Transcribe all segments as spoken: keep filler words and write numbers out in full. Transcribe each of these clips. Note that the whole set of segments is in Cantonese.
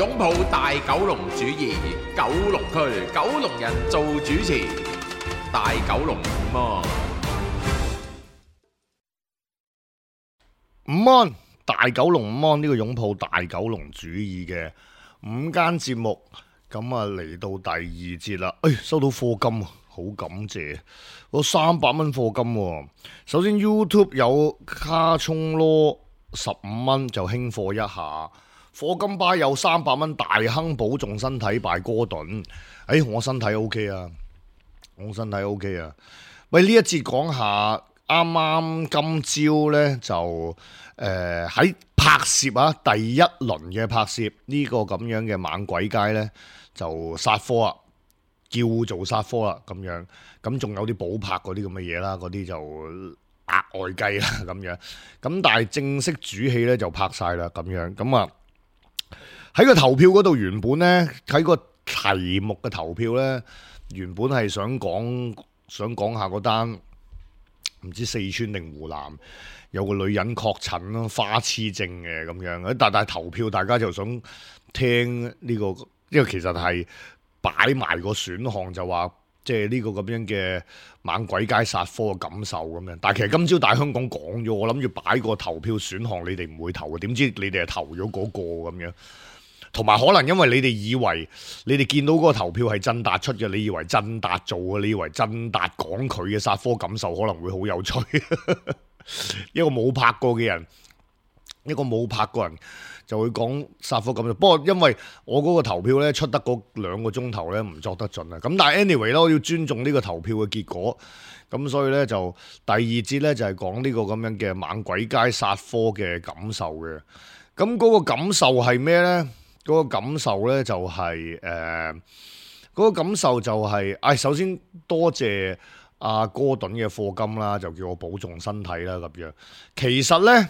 擁抱大九龍主義，九龍區九龍人做主持，大九龍午安。午安，大九龍午安，呢個擁抱大九龍主義嘅午間節目，咁啊嚟到第二節啦。誒、哎，收到課金啊，好感謝，我三百蚊課金喎。首先 YouTube 有卡蔥羅十五蚊就輕課一下，課金巴有三百蚊大亨保重身體拜哥頓。誒、哎，我身體 OK 啊，我身體 OK 啊。喂，呢一節講下。啱啱今朝呢，就誒喺、呃、拍攝啊，第一輪嘅拍攝呢、這個咁樣嘅猛鬼街呢，就殺科啊，叫做殺科啦咁樣，咁仲有啲補拍嗰啲咁嘅嘢啦，嗰啲就額外計啦咁樣，咁但係正式主戲呢，就拍晒啦咁樣，咁啊喺個投票嗰度原本呢，喺個題目嘅投票呢，原本係想講想講下嗰單。唔知四川定湖南有個女人確診咯，花痴症嘅咁樣，但係投票大家就想聽呢、呢個，因為其實係擺埋個選項就話，即係呢個咁樣嘅猛鬼街殺科嘅感受咁樣。但係其實今朝大香港講咗，我諗住擺個投票選項，你哋唔會投嘅，點知你哋係投咗嗰個咁樣。同埋可能因為你哋以為你哋見到嗰個投票係振達出嘅，你以為振達做嘅，你以為振達講佢嘅殺科感受可能會好有趣。一個冇拍過嘅人，一個冇拍過人就會講殺科感受。不過因為我嗰個投票咧出得嗰兩個鐘頭咧唔作得盡啊。咁但係 anyway 啦，我要尊重呢個投票嘅結果。咁所以咧就第二節咧就係講呢個咁樣嘅猛鬼街殺科嘅感受嘅。咁嗰個感受係咩咧？嗰個感受咧就係誒嗰個感受就係、是，唉、哎，首先多謝阿哥頓嘅課金啦，就叫我保重身體啦咁樣。其實咧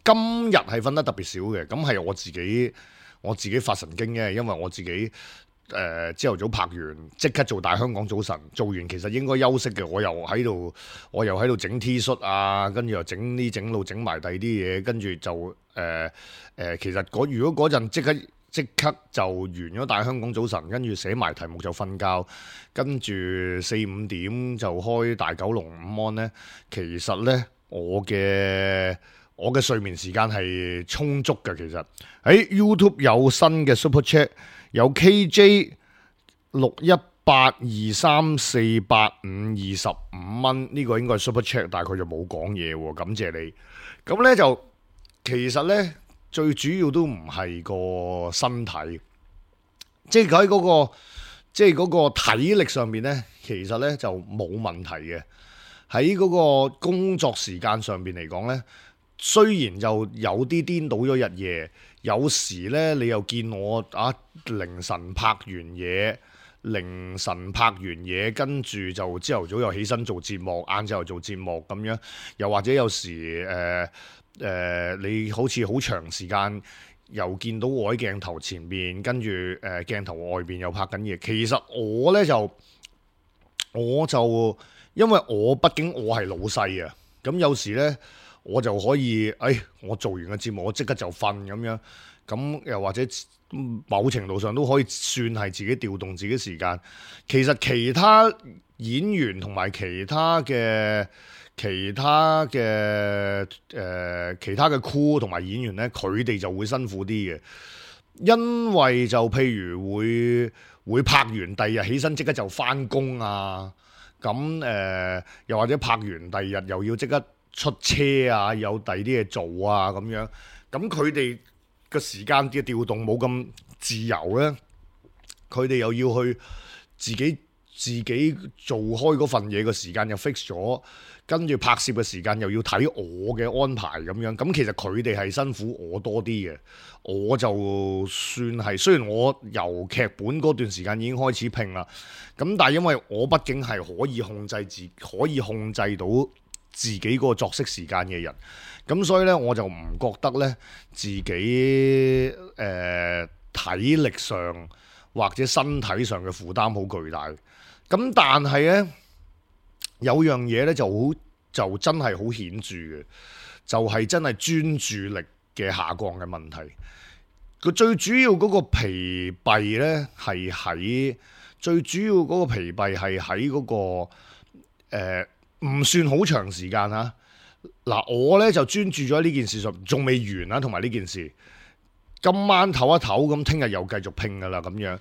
今日係瞓得特別少嘅，咁係我自己我自己發神經嘅，因為我自己誒朝頭早拍完即刻做大香港早晨，做完其實應該休息嘅，我又喺度我又喺度整 T 恤啊，跟住又整呢整路整埋第二啲嘢，跟住就誒。呃誒、呃，其實如果嗰陣即刻即刻就完咗大香港早晨，跟住寫埋題目就瞓覺，跟住四五點就開大九龍午安呢。其實呢，我嘅我嘅睡眠時間係充足嘅。其實喺 YouTube 有新嘅 Super Chat， 有 K J 六一八二三四八五二十五蚊，呢個應該係 Super Chat， 但係佢就冇講嘢喎，感謝你。咁呢，就其實呢。最主要都唔係個身體，即係佢喺嗰個即係嗰個體力上面呢，其實呢就冇問題嘅。喺嗰個工作時間上邊嚟講呢，雖然就有啲顛倒咗日夜，有時呢你又見我啊凌晨拍完嘢，凌晨拍完嘢，跟住就朝頭早又起身做節目，晏晝又做節目咁樣，又或者有時誒。呃誒、呃，你好似好長時間又見到我喺鏡頭前面，跟住誒、呃、鏡頭外邊又拍緊嘢。其實我呢，就，我就因為我畢竟我係老細啊，咁有時呢，我就可以，誒、哎，我做完個節目我即刻就瞓咁樣，咁又或者某程度上都可以算係自己調動自己時間。其實其他演員同埋其他嘅。其他嘅誒、呃，其他嘅 crew 同埋演員呢，佢哋就會辛苦啲嘅，因為就譬如會會拍完第二日起身即刻就返工啊，咁誒、呃、又或者拍完第二日又要即刻出車啊，有第二啲嘢做啊咁樣，咁佢哋嘅時間嘅調動冇咁自由呢，佢哋又要去自己自己做開嗰份嘢嘅時間又 fix 咗。跟住拍攝嘅時間又要睇我嘅安排咁樣，咁其實佢哋係辛苦我多啲嘅，我就算係雖然我由劇本嗰段時間已經開始拼啦，咁但係因為我畢竟係可以控制自可以控制到自己個作息時間嘅人，咁所以呢，我就唔覺得呢自己誒、呃、體力上或者身體上嘅負擔好巨大，咁但係呢。有樣嘢咧就好就真係好顯著嘅，就係、是、真係專注力嘅下降嘅問題。佢最主要嗰個疲憊咧係喺最主要嗰個疲憊係喺嗰個誒唔算好長時間嚇。嗱，我咧就專注咗呢件事上，仲未完啊，同埋呢件事。今晚唞一唞，咁聽日又繼續拼噶啦，咁樣。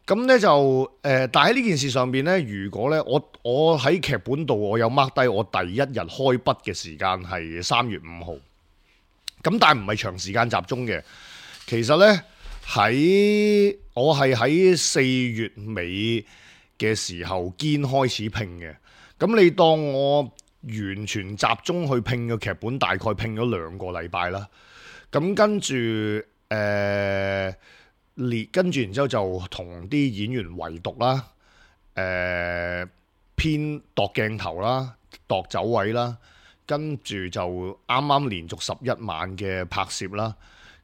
咁咧就誒、呃，但喺呢件事上邊咧，如果咧我我喺劇本度，我有 mark 低我第一日開筆嘅時間係三月五號。咁但係唔係長時間集中嘅，其實咧喺我係喺四月尾嘅時候堅開始拼嘅。咁你當我完全集中去拼嘅劇本，大概拼咗兩個禮拜啦。咁跟住誒。呃列跟住，然之後就同啲演員圍讀啦，誒、呃、編度鏡頭啦，度走位啦，跟住就啱啱連續十一晚嘅拍攝啦，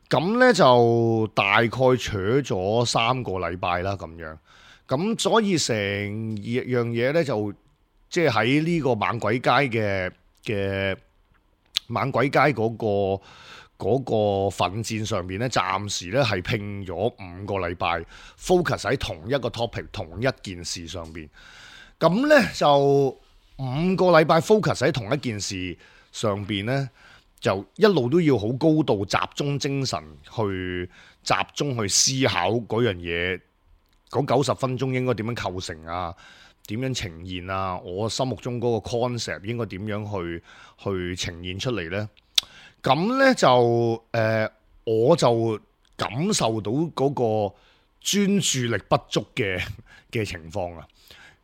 咁呢就大概取咗三個禮拜啦，咁樣，咁所以成樣嘢呢，就即係喺呢個猛鬼街嘅嘅猛鬼街嗰、嗰個。嗰個奮戰上面咧，暫時咧係拼咗五個禮拜 ，focus 喺同一個 topic、同一件事上邊。咁咧就五個禮拜 focus 喺同一件事上邊咧，就一路都要好高度集中精神去集中去思考嗰樣嘢。嗰九十分鐘應該點樣構成啊？點樣呈現啊？我心目中嗰個 concept 應該點樣去去呈現出嚟咧？咁咧就誒、呃，我就感受到嗰個專注力不足嘅嘅情況啊！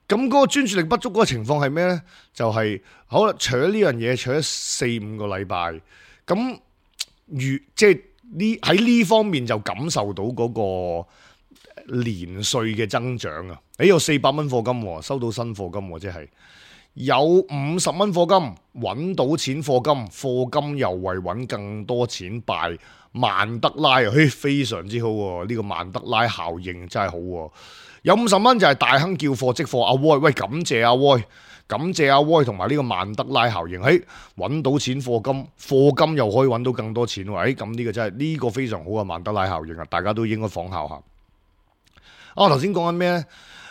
咁嗰個專注力不足嗰個情況係咩咧？就係、是、好啦，除咗呢樣嘢，除咗四五個禮拜，咁如即係呢喺呢方面就感受到嗰個年歲嘅增長啊！誒有四百蚊課金，收到新課金，即係。有五十蚊課金，揾到錢課金，課金又為揾更多錢拜曼德拉啊！嘿，非常之好喎，呢、這個曼德拉效應真係好喎。有五十蚊就係大亨叫貨即貨，阿威喂，感謝阿威，感謝阿威同埋呢個曼德拉效應，嘿，揾到錢課金，課金又可以揾到更多錢喎，誒咁呢個真係呢、這個非常好嘅曼德拉效應啊！大家都應該仿效下。啊，我頭先講緊咩咧？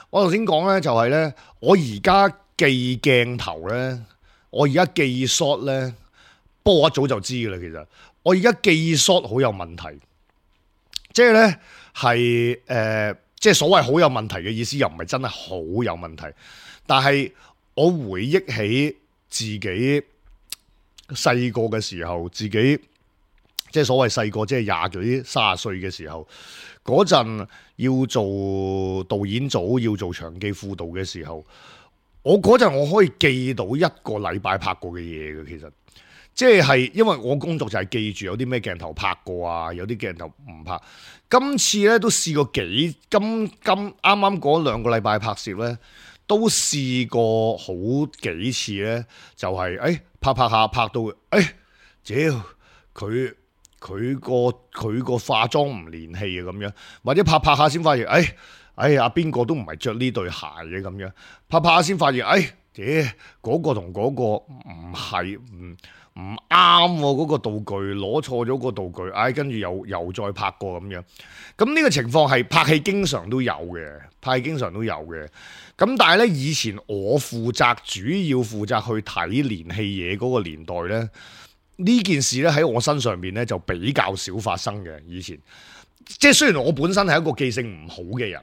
我頭先講咧就係咧，我而家。記鏡頭咧，我而家記 shot 咧，不過我一早就知噶啦。其實我而家記 shot 好有問題，即係咧係誒，即係所謂好有問題嘅意思，又唔係真係好有問題。但係我回憶起自己細個嘅時候，自己即係所謂細個，即係廿幾、三十歲嘅時候，嗰陣要做導演組，要做場記輔導嘅時候。我嗰陣我可以記到一個禮拜拍過嘅嘢嘅，其實即係因為我工作就係記住有啲咩鏡頭拍過啊，有啲鏡頭唔拍。今次咧都試過幾今今啱啱嗰兩個禮拜拍攝咧，都試過好幾次咧，就係、是、誒、哎、拍拍下拍到誒，屌佢佢個佢個化妝唔連戲啊咁樣，或者拍拍下先發現誒。哎哎呀，邊個都唔係着呢對鞋嘅咁樣，拍拍下先發現，哎，屌嗰個同嗰個唔係唔唔啱喎，嗰個道具攞錯咗個道具，哎，跟住又又再拍過咁樣。咁呢個情況係拍戲經常都有嘅，拍戲經常都有嘅。咁但係咧，以前我負責主要負責去睇連戲嘢嗰個年代咧，呢件事咧喺我身上邊咧就比較少發生嘅。以前即係雖然我本身係一個記性唔好嘅人。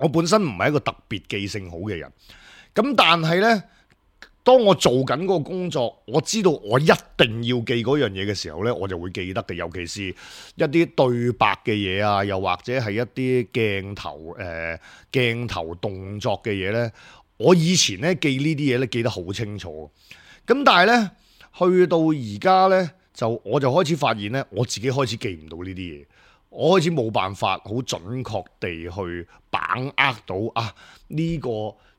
我本身唔係一個特別記性好嘅人，咁但係呢，當我做緊嗰個工作，我知道我一定要記嗰樣嘢嘅時候呢，我就會記得嘅。尤其是一啲對白嘅嘢啊，又或者係一啲鏡頭誒、呃、鏡頭動作嘅嘢呢，我以前呢記呢啲嘢呢記得好清楚。咁但係呢，去到而家呢，就我就開始發現呢，我自己開始記唔到呢啲嘢。我開始冇辦法好準確地去把握到啊呢個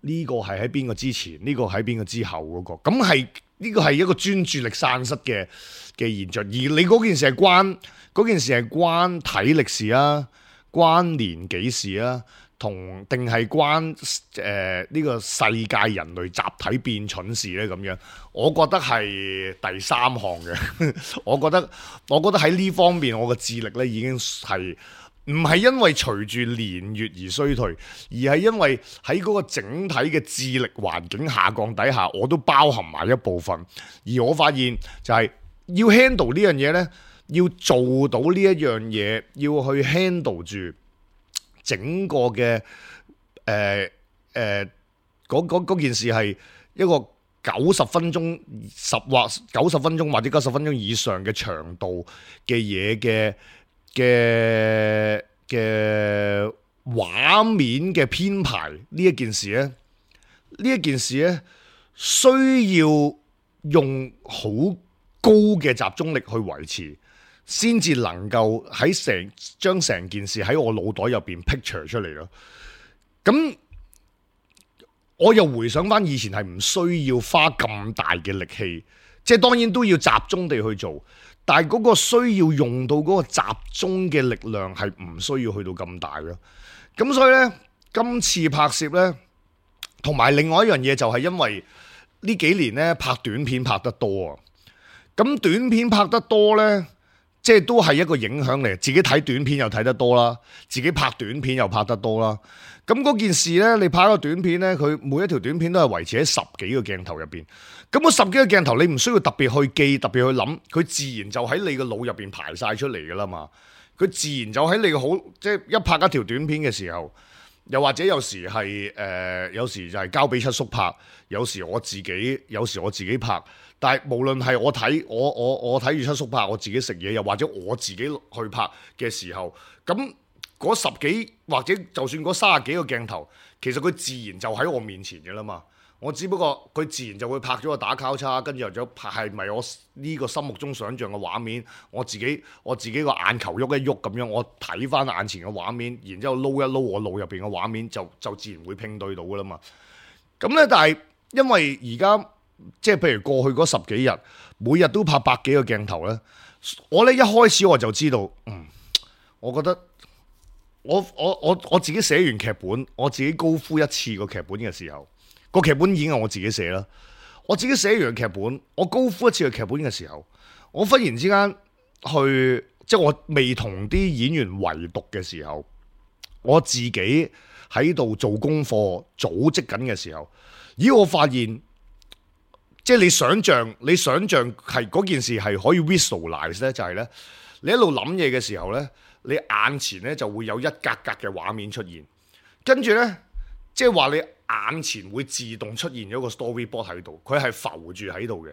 呢個係喺邊個之前，呢個喺邊個之後嗰個，咁係呢個係一個專注力散失嘅嘅現象。而你嗰件事係關嗰件事係關體力事啊，關年紀事啊，同定係關誒呢、呃呢個世界人類集體變蠢事呢？咁樣，我覺得係第三項嘅。我覺得我覺得喺呢方面，我嘅智力呢已經係唔係因為隨住年月而衰退，而係因為喺嗰個整體嘅智力環境下降底下，我都包含埋一部分。而我發現就係要 handle 呢樣嘢呢，要做到呢一樣嘢，要去 handle 住整個嘅誒誒嗰件事係一個九十分鐘十或九十分鐘或者九十分鐘以上嘅長度嘅嘢嘅嘅嘅畫面嘅編排呢一件事咧，呢一件事咧需要用好高嘅集中力去維持，先至能夠喺成將成件事喺我腦袋入邊 picture 出嚟咯。咁我又回想翻以前係唔需要花咁大嘅力氣，即係當然都要集中地去做，但係嗰個需要用到嗰個集中嘅力量係唔需要去到咁大咯。咁所以呢，今次拍攝呢，同埋另外一樣嘢就係因為呢幾年呢拍短片拍得多啊，咁短片拍得多呢，即係都係一個影響嚟，自己睇短片又睇得多啦，自己拍短片又拍得多啦。咁嗰件事呢，你拍個短片呢，佢每一條短片都係維持喺十幾個鏡頭入邊。咁嗰十幾個鏡頭，你唔需要特別去記，特別去諗，佢自然就喺你個腦入邊排晒出嚟噶啦嘛。佢自然就喺你個好，即係一拍一條短片嘅時候，又或者有時係誒、呃，有時就係交俾七叔拍，有時我自己，有時我自己拍。但係無論係我睇我我我睇住七叔拍，我自己食嘢，又或者我自己去拍嘅時候，咁嗰十幾或者就算嗰三十幾個鏡頭，其實佢自然就喺我面前嘅啦嘛。我只不過佢自然就會拍咗個打交叉，跟住又咗拍係咪我呢個心目中想像嘅畫面，我自己我自己個眼球喐一喐咁樣，我睇翻眼前嘅畫面，然之後撈一撈我腦入邊嘅畫面，就就自然會拼對到噶啦嘛。咁咧，但係因為而家即係譬如過去嗰十幾日，每日都拍百幾個鏡頭咧，我咧一開始我就知道，嗯，我覺得我我我我自己寫完劇本，我自己高呼一次個劇本嘅時候，個劇本已經係我自己寫啦。我自己寫完劇本，我高呼一次個劇本嘅時候，我忽然之間去，即係我未同啲演員圍讀嘅時候，我自己喺度做功課、組織緊嘅時候，咦，我發現。即係你想象，你想象係嗰件事係可以 visualize 咧，就係咧，你一路諗嘢嘅時候咧，你眼前咧就會有一格格嘅畫面出現，跟住咧，即係話你眼前會自動出現咗個 storyboard 喺度，佢係浮住喺度嘅。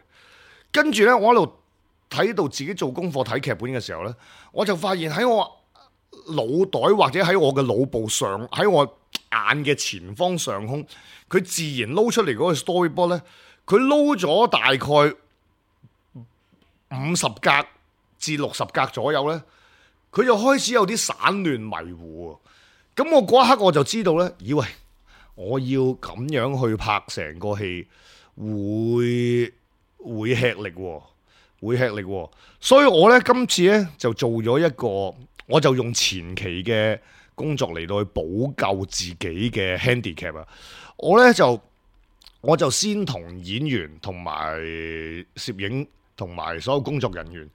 跟住咧，我喺度睇到自己做功課睇劇本嘅時候咧，我就發現喺我腦袋或者喺我嘅腦部上，喺我眼嘅前方上空，佢自然撈出嚟嗰個 storyboard 咧。佢撈咗大概五十格至六十格左右呢，佢就開始有啲散亂迷糊。咁我嗰一刻我就知道呢，以為我要咁樣去拍成個戲，會會吃力喎，會吃力喎。所以我呢，今次呢，就做咗一個，我就用前期嘅工作嚟到去補救自己嘅 handicap 啊。我呢，就。我就先同演員同埋攝影同埋所有工作人員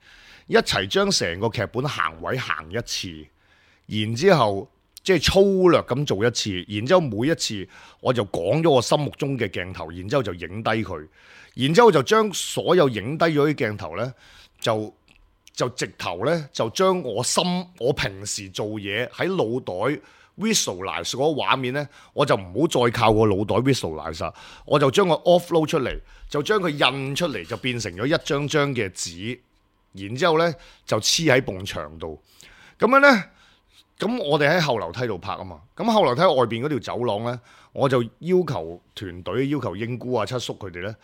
一齊將成個劇本行位行一次，然之後即係粗略咁做一次，然之後每一次我就講咗我心目中嘅鏡頭，然之後就影低佢，然之後就將所有影低咗啲鏡頭呢，就就直頭呢，就將我心我平時做嘢喺腦袋。visualize 嗰個畫面呢，我就唔好再靠個腦袋 visualize，我就將佢 offload 出嚟，就將佢印出嚟，就變成咗一張張嘅紙，然之後呢就黐喺埲牆度。咁樣呢，咁我哋喺後樓梯度拍啊嘛。咁後樓梯外邊嗰條走廊呢，我就要求團隊，要求英姑啊、七叔佢哋呢，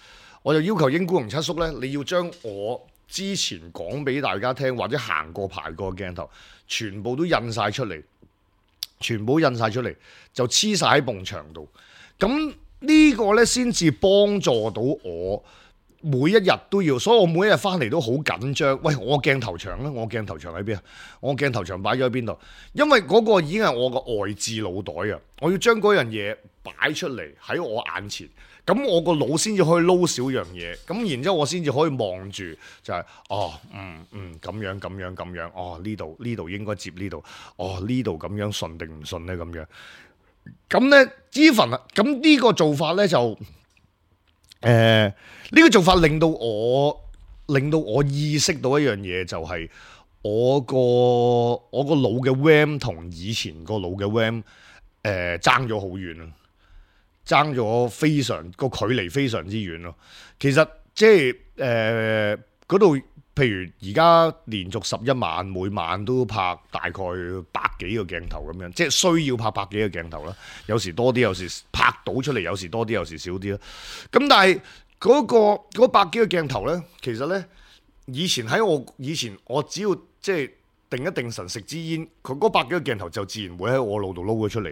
我就要求英姑同七叔呢，你要將我之前講俾大家聽或者行過排過嘅鏡頭，全部都印晒出嚟。全部印晒出嚟，就黐晒喺埲牆度。咁呢個呢，先至幫助到我每一日都要，所以我每一日翻嚟都好緊張。喂，我鏡頭牆咧，我鏡頭牆喺邊啊？我鏡頭牆擺咗喺邊度？因為嗰個已經係我個外置腦袋啊！我要將嗰樣嘢擺出嚟喺我眼前，咁我個腦先至可以撈少樣嘢，咁然之後我先至可以望住，就係、是、哦，嗯嗯，咁樣咁樣咁樣，哦呢度呢度應該接呢度，哦呢度咁樣順定唔順咧咁樣。咁咧 even 啊，咁呢個做法咧就誒呢、呃呢個做法令到我令到我意識到一樣嘢，就係我個我個腦嘅 RAM 同以前個腦嘅 RAM 誒爭咗好遠啊！爭咗非常個距離非常之遠咯。其實即係誒嗰度，譬如而家連續十一晚，每晚都拍大概百幾個鏡頭咁樣，即係需要拍百幾個鏡頭啦。有時多啲，有時拍到出嚟，有時多啲，有時少啲啦。咁但係嗰個嗰百幾個鏡頭咧，其實咧以前喺我以前我只要即係定一定神食支煙，佢嗰百幾個鏡頭就自然會喺我腦度撈咗出嚟。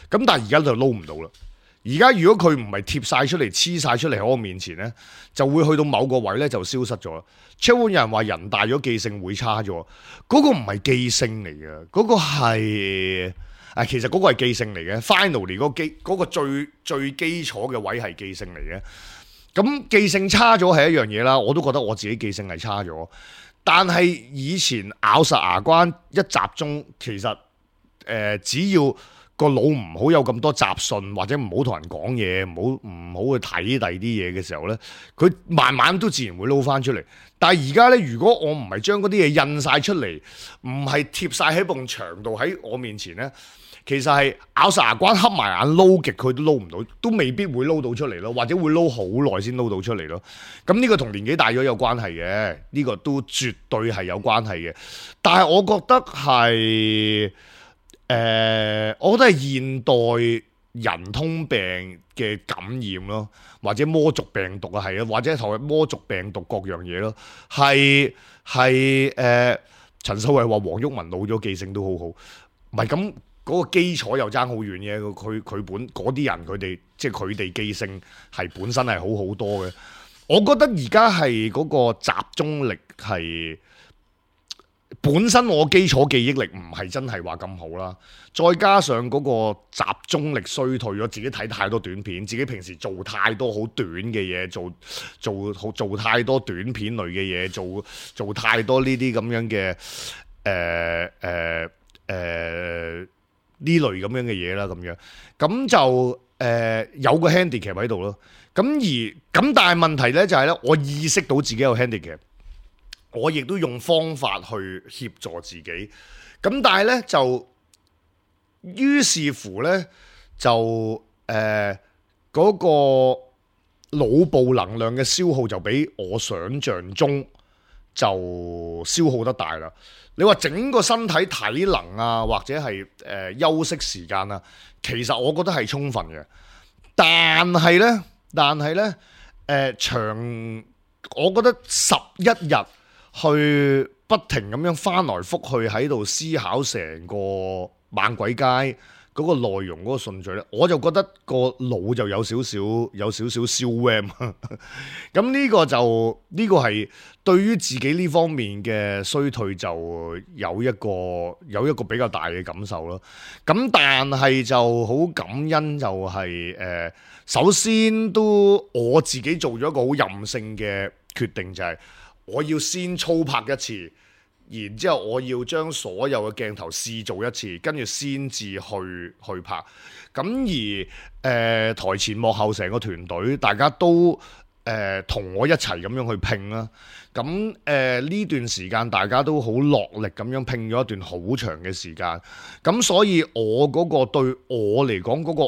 咁但係而家就撈唔到啦。而家如果佢唔係貼晒出嚟、黐晒出嚟喺我面前咧，就會去到某個位咧就消失咗。超有人話人大咗記性會差咗，嗰、嗰個唔係記性嚟嘅，嗰、嗰個係啊，其實嗰個係記性嚟嘅。Finally 嗰基嗰個最最基礎嘅位係記性嚟嘅。咁記性差咗係一樣嘢啦，我都覺得我自己記性係差咗。但係以前咬實牙關一集中，其實誒、呃、只要個腦唔好有咁多雜訊，或者唔好同人講嘢，唔好唔好去睇第二啲嘢嘅時候呢，佢慢慢都自然會撈翻出嚟。但係而家呢，如果我唔係將嗰啲嘢印晒出嚟，唔係貼晒喺埲牆度喺我面前呢，其實係咬實牙關黑埋眼撈極佢都撈唔到，都未必會撈到出嚟咯，或者會撈好耐先撈到出嚟咯。咁呢個同年紀大咗有關係嘅，呢個都絕對係有關係嘅。但係我覺得係。誒、呃，我覺得係現代人通病嘅感染咯，或者魔族病毒啊，係啊，或者同魔族病毒各樣嘢咯，係係誒，陳秀慧話黃毓民老咗記性都好好，唔係咁嗰個基礎又爭好遠嘅，佢佢本嗰啲人佢哋即係佢哋記性係本身係好好多嘅，我覺得而家係嗰個集中力係。本身我基礎記憶力唔係真係話咁好啦，再加上嗰個集中力衰退咗，自己睇太多短片，自己平時做太多好短嘅嘢，做做好做太多短片類嘅嘢，做做太多呢啲咁樣嘅誒誒誒呢類咁樣嘅嘢啦，咁樣咁就誒、呃、有個 handicap 喺度咯。咁而咁但係問題咧就係咧，我意識到自己有 handicap。我亦都用方法去協助自己，咁但係咧就於是乎咧就誒嗰、呃嗰個腦部能量嘅消耗就比我想象中就消耗得大啦。你話整個身體體能啊，或者係誒、呃、休息時間啊，其實我覺得係充分嘅，但係咧，但係咧誒長，我覺得十一日。去不停咁樣翻來覆去喺度思考成個猛鬼街嗰個內容嗰個順序咧，我就覺得個腦就有少少有少少燒 RAM。咁呢個就呢個係對於自己呢方面嘅衰退就有一個有一個比較大嘅感受咯。咁但係就好感恩就係誒，首先都我自己做咗一個好任性嘅決定，就係我要先操拍一次，然之後我要將所有嘅鏡頭試做一次，跟住先至去去拍。咁而誒、呃、台前幕後成個團隊，大家都誒同、呃、我一齊咁樣去拼啦。咁誒呢段時間大家都好落力咁樣拼咗一段好長嘅時間。咁所以我嗰個對我嚟講嗰個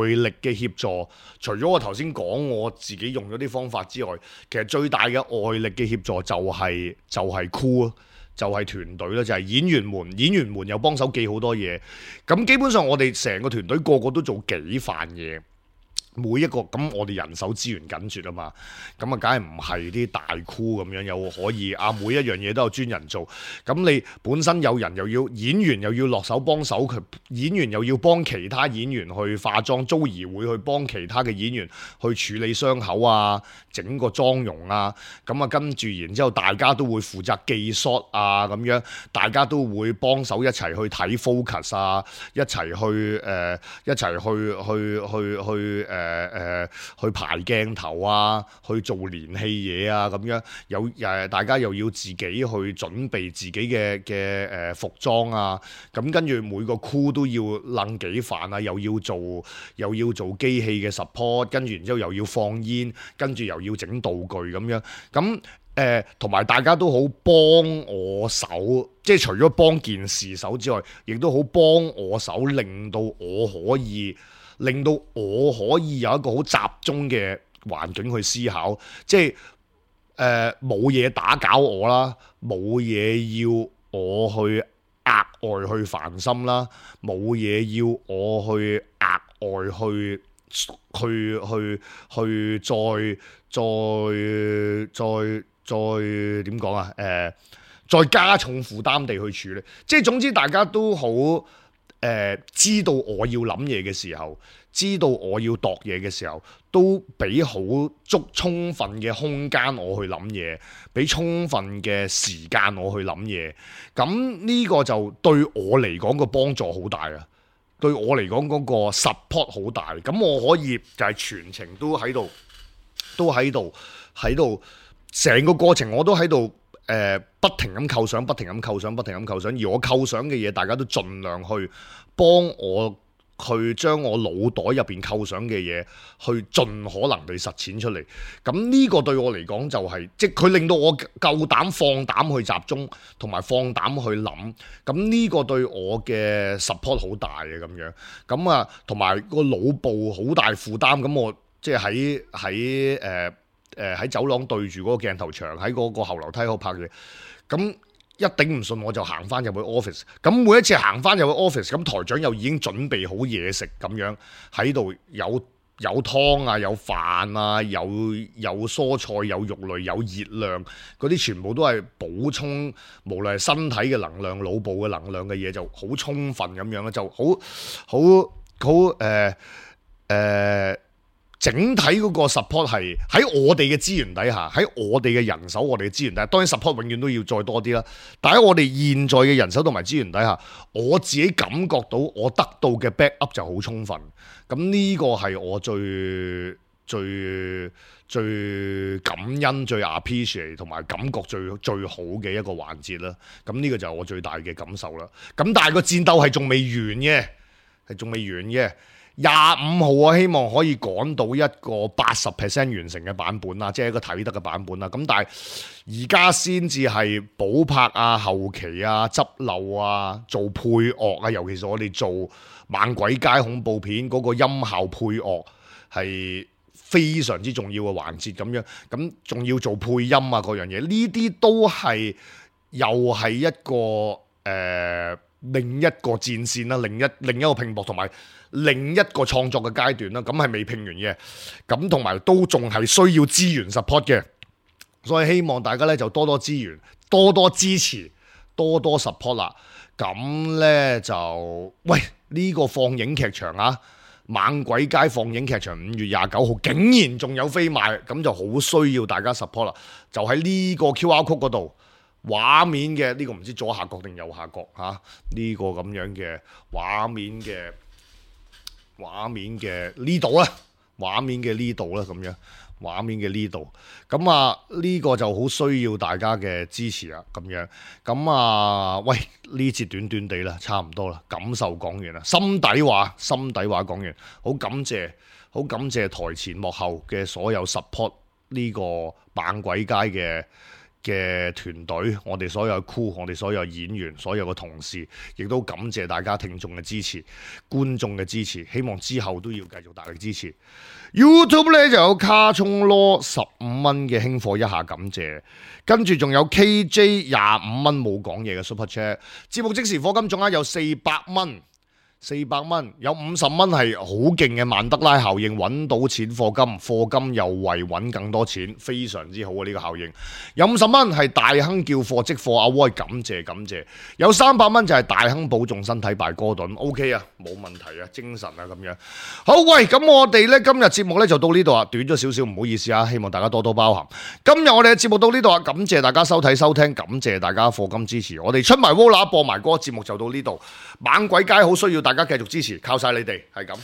外力嘅協助，除咗我頭先講我自己用咗啲方法之外，其實最大嘅外力嘅協助就係、是、就係 crew，就係團隊啦，就係、是、演員們，演員們又幫手記好多嘢。咁基本上我哋成個團隊個個都做幾份嘢。每一個咁，我哋人手資源緊絀啊嘛，咁啊，梗係唔係啲大 crew 咁樣，又可以啊，每一樣嘢都有專人做。咁你本身有人又要演員又要落手幫手，佢演員又要幫其他演員去化妝，Joey會去幫其他嘅演員去處理傷口啊，整個妝容啊。咁啊，跟住然之後大家都會負責記 shot 啊，咁樣大家都會幫手一齊去睇 focus 啊，一齊去誒、呃，一齊去去去去誒。呃誒誒、呃，去排鏡頭啊，去做連戲嘢啊，咁樣有誒，大家又要自己去準備自己嘅嘅誒服裝啊，咁跟住每個 crew 都要撚幾飯啊，又要做又要做機器嘅 support， 跟住然之後又要放煙，跟住又要整道具咁樣，咁誒同埋大家都好幫我手，即係除咗幫件事手之外，亦都好幫我手，令到我可以。令到我可以有一個好集中嘅環境去思考，即係誒冇嘢打攪我啦，冇嘢要我去額外去煩心啦，冇嘢要我去額外去去去去再再再再點講啊？誒、呃，再加重負擔地去處理，即係總之大家都好。誒、呃、知道我要諗嘢嘅時候，知道我要度嘢嘅時候，都俾好足充分嘅空間我去諗嘢，俾充分嘅時間我去諗嘢。咁呢個就對我嚟講個幫助好大啊！對我嚟講嗰個 support 好大。咁我可以就係全程都喺度，都喺度，喺度成個過程我都喺度。誒、呃、不停咁構想，不停咁構想，不停咁構想，而我構想嘅嘢，大家都盡量去幫我去將我腦袋入邊構想嘅嘢，去盡可能地實踐出嚟。咁呢個對我嚟講就係、是，即係佢令到我夠膽放膽去集中，同埋放膽去諗。咁呢個對我嘅 support 好大嘅咁樣。咁啊，同埋個腦部好大負擔。咁我即係喺喺誒。誒喺、呃、走廊對住嗰個鏡頭牆，喺嗰個後樓梯嗰度拍嘢，咁一頂唔順我就行翻入去 office。咁每一次行翻入去 office，咁台長又已經準備好嘢食咁樣，喺度有有湯啊，有飯啊，有有蔬菜，有肉類，有熱量，嗰啲全部都係補充，無論係身體嘅能量、腦部嘅能量嘅嘢，就好充分咁樣啦，就好好好誒誒。呃整體嗰個 support 係喺我哋嘅資源底下，喺我哋嘅人手、我哋嘅資源底下，當然 support 永遠都要再多啲啦。但喺我哋現在嘅人手同埋資源底下，我自己感覺到我得到嘅 backup 就好充分。咁呢個係我最最最感恩、最 appreciate 同埋感覺最最好嘅一個環節啦。咁呢個就係我最大嘅感受啦。咁但係個戰鬥係仲未完嘅，係仲未完嘅。廿五號啊，希望可以趕到一個八十 percent 完成嘅版本啦，即係一個睇得嘅版本啦。咁但係而家先至係補拍啊、後期啊、執漏啊、做配樂啊，尤其是我哋做猛鬼街恐怖片嗰個音效配樂係非常之重要嘅環節咁樣。咁仲要做配音啊，嗰樣嘢，呢啲都係又係一個誒、呃、另一個戰線啦，另一另一個拼搏同埋。另一個創作嘅階段啦，咁係未拼完嘅，咁同埋都仲係需要資源 support 嘅，所以希望大家咧就多多資源，多多支持，多多 support 啦。咁咧就喂呢個放映劇場啊，猛鬼街放映劇場五月廿九號竟然仲有飛賣，咁就好需要大家 support 啦。就喺呢個 Q R code 嗰度，畫面嘅呢個唔知左下角定右下角嚇，呢個咁樣嘅畫面嘅。畫面嘅呢度啦，畫面嘅呢度啦，咁樣畫面嘅呢度，咁啊呢個就好需要大家嘅支持啊，咁樣，咁啊喂呢節短短地啦，差唔多啦，感受講完啦，心底話心底話講完，好感謝好感謝台前幕後嘅所有 support 呢個猛鬼街嘅嘅團隊，我哋所有嘅 crew，我哋所有演員，所有嘅同事，亦都感謝大家聽眾嘅支持、觀眾嘅支持，希望之後都要繼續大力支持。YouTube 咧就有卡聰羅十五蚊嘅輕貨一下感謝，跟住仲有 K J 廿五蚊冇講嘢嘅 Super Chat， 節目即時課金總額有四百蚊。四百蚊有五十蚊係好勁嘅曼德拉效應，揾到錢課金，課金又為揾更多錢，非常之好啊！呢個效應有五十蚊係大亨叫貨即貨，阿威感謝感謝。有三百蚊就係大亨保重身體敗哥頓 ，OK 啊，冇問題啊，精神啊咁樣。好喂，咁我哋呢今日節目呢就到呢度啊，短咗少少，唔好意思啊，希望大家多多包涵。今日我哋嘅節目到呢度啊，感謝大家收睇收聽，感謝大家課金支持，我哋出埋 Vola 播埋歌，節目就到呢度。猛鬼街好需要大家繼續支持，靠晒你哋，係咁。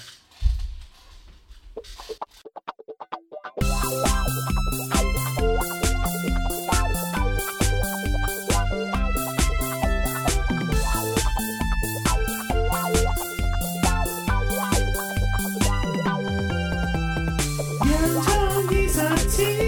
人創二十次。